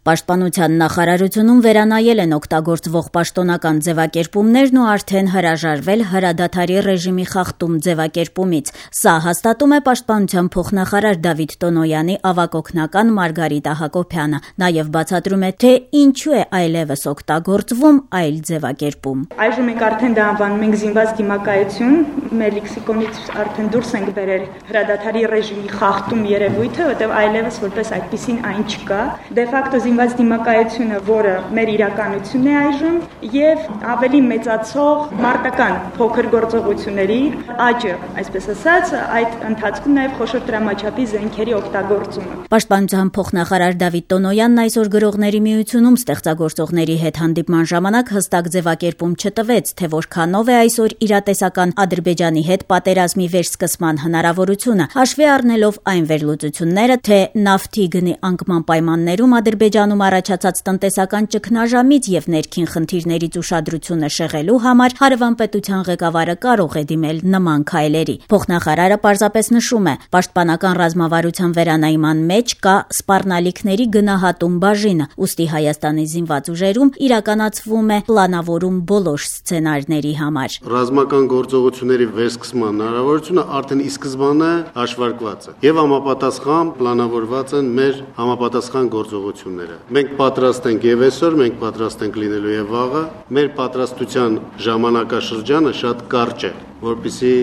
Պաշտպանության նախարարությունում վերանայել են օգտագործվող պաշտոնական ձևակերպումներն ու արդեն հրաժարվել հրադադարի ռեժիմի խախտում ձևակերպումից։ Սա հաստատում է Պաշտպանության փոխնախարար Դավիթ Տոնոյանի ավագ օգնական Մարգարիտա Հակոբյանը։ Նաև բացատրում է, թե ինչու է այլևս օգտագործվում այլ ձևակերպում։ Այժմ մենք արդեն դա անվանում ենք զինված դիմակայություն, մեր լեքսիկոնից արդեն դուրս ենք բերել հրադադարի ռեժիմի խախտում երևույթը, որտեղ այլևս որպես այդպիսին այն չկա։ Դե ֆակտո զինված դիմակայությունը, որը մեր իրականությունն է այժմ, եւ ավելի մեծացող մարտական փոքր գործողությունների աճը, այսպես ասած, այդ ընթացքում նաեւ խոշոր դրամաչափի զենքերի օգտագործումը։ Պաշտպանության փոխնախարար Դավիթ Տոնոյանն այսօր Գրողների միությունում ստեղծագործողների հետ հանդիպման ժամանակ հստակ ձևակերպում չտվեց, թե որքանով է այսօր իրատեսական Ադրբեջանի հետ պատերազմի վերսկսման հնարավորությունը, հաշվի առնելով այն վերլուծությունները, թե նավթի գնի անկման պայմաններում Ադրբեջանում առաջացած տնտեսական ճգնաժամից եւ ներքին խնդիրներից ուշադրությունը շեղելու համար հարևան պետության ղեկավարը կարող է դիմել նման քայլերի։ Փոխնախարարը պարզապես նշում է, պաշտպանական ռազմավարության վերանայման մեջ կա սպառնալիքների գնահատում բաժինը, ուստի Հայաստանի զինված ուժերում իրականացվում է պլանավորում բոլոր սցենարների համար։ Ռազմական գործողությունների վերսկսման հնարավորությունը արդեն ի սկզբանե հաշվարկված է եւ համապատասխան պլանավորված են մեր համապատասխան գործողությունները։ Մենք պատրաստ ենք եւ այսօր, մենք պատրաստ ենք լինելու եւ վաղը։ Մեր պատրաստության ժամանակաշրջանը շատ կարճ է, որպեսզի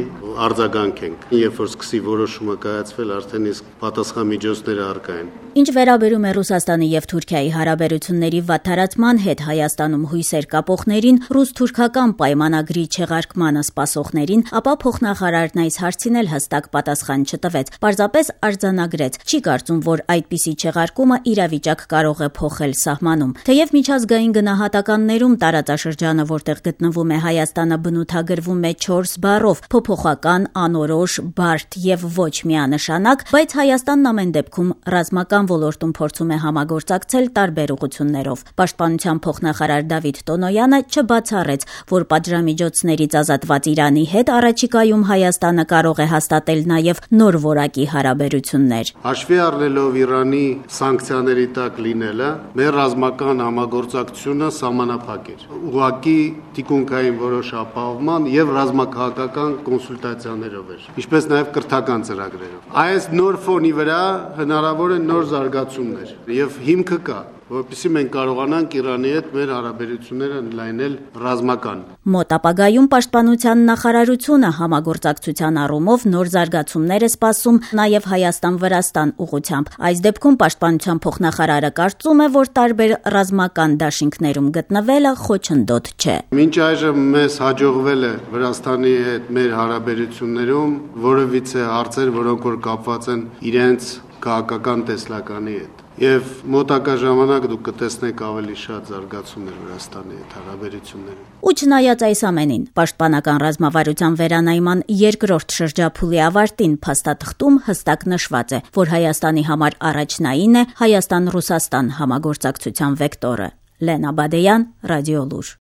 արձագանքենք։ Երբ որ սկսի որոշումը կայացվել, արդեն իսկ պատասխան միջոցները առկա են։ Ինչ վերաբերում է Ռուսաստանի եւ Թուրքիայի հարաբերությունների վատթարացման հետ Հայաստանում հույսեր կապողներին, ռուս-թուրքական պայմանագրի չեղարկմանը սպասողներին, ապա փոխնախարարն այս հարցին էլ հստակ պատասխան չտվեց։ Պարզապես արձանագրեց. չի կարծում, որ այդպիսի չեղարկումը իրավիճակ կարող է փոխել սահմանում։ Թեև միջազգային գնահատականներում տարածաշրջանը, որտեղ գտնվում է Հայաստանը, բնութագրվում է 4 բառով՝ փոփոխական, անորոշ, բարդ եւ ոչ միանշանակ, բայց Հայաստանն ամեն դեպքում ռազմական ոլորտում փորձում է համագործակցել տարբեր ուղղություններով։ Պաշտպանության փոխնախարար Դավիթ Տոնոյանը չբացառեց, որ պատժամիջոցներից ազատված Իրանի հետ առաջիկայում Հայաստանը կարող է հաստատել նաև նոր որակի հարաբերություններ։ Հաշվի առնելով Իրանի սանկցիաների տակ լինելը, մեր ռազմական համագործակցությունը սահմանափակ էր։ Ուղղակի թիկունքային որոշ ապահովման եւ ռազմաքաղաքական կոնսուլտացիաներով էր, ինչպես նաև կրթական ծրագրերով։ Այս նոր ֆոնի վրա հնարավոր է նոր զարգացումներ եւ հիմքը կա, որպեսզի մենք կարողանանք Իրանի հետ մեր հարաբերությունները ընդլայնել ռազմական։ Մոտ ապագայում Պաշտպանության նախարարությունը համագործակցության առումով նոր զարգացումներ է սպասում նաև Հայաստան-Վրաստան ուղղությամբ։ Այս դեպքում Պաշտպանության փոխնախարարը կարծում է, որ տարբեր ռազմական դաշինքներում գտնվելը խոչընդոտ չէ։ Մինչ այժմ մեզ հաջողվել է Վրաստանի հետ մեր հարաբերություններում որևիցե հարցեր, որոնք որ կապված են իրենց քաղաքական տեսլականի հետ։ Եվ մոտակա ժամանակ դուք կտեսնեք ավելի շատ զարգացումներ Վրաստանի հետ հարաբերություններում։ Ու չնայած այս ամենին, պաշտպանական ռազմավարության վերանայման երկրորդ շրջափուլի ավարտին փաստաթղթում հստակ նշված է, որ Հայաստանի համար առաջնային է Հայաստան-Ռուսաստան համագործակցության վեկտորը։ Լենա Բադեյան, Ռադիոլուր։